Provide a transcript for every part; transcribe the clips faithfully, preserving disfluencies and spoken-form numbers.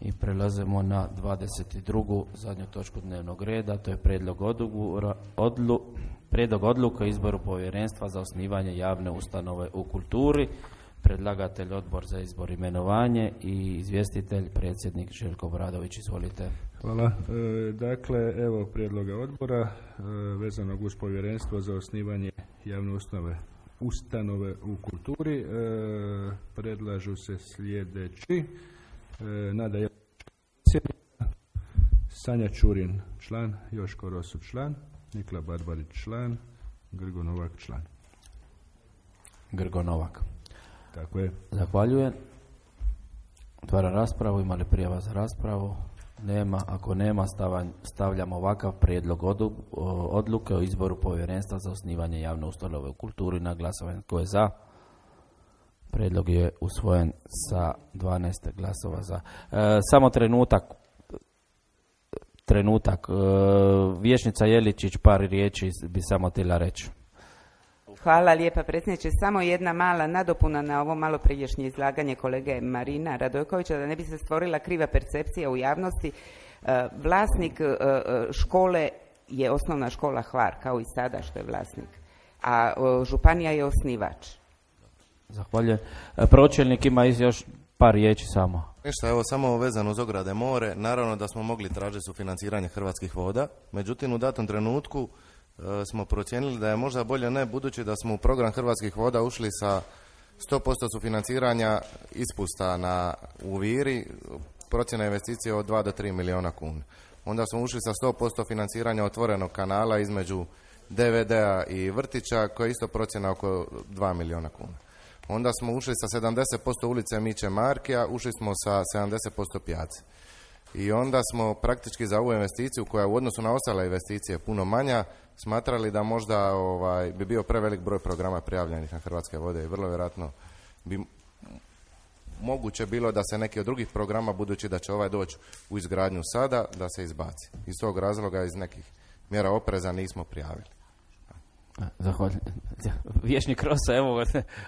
I prelazimo na dvadeset drugu zadnju točku dnevnog reda, to je prijedlog odluka, odlu, prijedlog odluke o izboru povjerenstva za osnivanje javne ustanove u kulturi. Predlagatelj Odbor za izbor i imenovanje i izvjestitelj predsjednik Željko Obradović. Izvolite. Hvala. E, dakle, evo prijedloga odbora e, vezanog uz povjerenstvo za osnivanje javne ustanove ustanove u kulturi. E, predlažu se sljedeći: e, Nada Jelavić, Sanja Čurin član, Joško Rosu član, Nikla Barbarić član, Grgo Novak član. Grgo Novak. Tako je. Zahvaljujem. Otvaram raspravu. Ima li prijava za raspravu? Nema. Ako nema, stavljam ovakav prijedlog odluke o izboru povjerenstva za osnivanje javne ustanove u kulturi na glasovanje. Tko je za? Prijedlog je usvojen sa dvanaest glasova za. E, samo trenutak. Trenutak. E, Vijećnica Jeličić par riječi bi samo htjela reći. Hvala lijepa predsjedniče. Samo jedna mala nadopuna na ovo malo prijašnje izlaganje kolege Marina Radojkovića, da ne bi se stvorila kriva percepcija u javnosti. Vlasnik škole je osnovna škola Hvar, kao i sada što je vlasnik, a županija je osnivač. Zahvaljujem. Pročelnik ima još par riječi samo. Ništa, evo samo vezano uz ograde more. Naravno da smo mogli tražiti sufinanciranje Hrvatskih voda, međutim u datom trenutku smo procijenili da je možda bolje ne, budući da smo u program Hrvatskih voda ušli sa sto posto sufinanciranja ispusta na u Viri, procjena investicije od dva do tri milijuna kuna. Onda smo ušli sa sto posto financiranja otvorenog kanala između D V D-a i vrtića, koja je isto procjena oko dva milijuna kuna. Onda smo ušli sa sedamdeset posto ulice Miće Markija, ušli smo sa sedamdeset posto pijace. I onda smo praktički za ovu investiciju, koja u odnosu na ostale investicije puno manja, smatrali da možda ovaj, bi bio prevelik broj programa prijavljenih na Hrvatske vode i vrlo vjerojatno bi moguće bilo da se neki od drugih programa, budući da će ovaj doći u izgradnju sada, da se izbaci. Iz tog razloga, iz nekih mjera opreza nismo prijavili. Zahvaljujem. Vječnik Rosa, evo,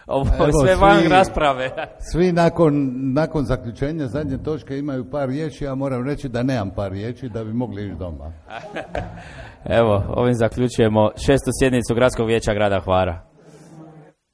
ovo je sve van svi, rasprave. Svi nakon, nakon zaključenja zadnje točke imaju par riječi, ja moram reći da nemam par riječi da bi mogli ići doma. Evo, ovim zaključujemo šestu sjednicu Gradskog vijeća grada Hvara.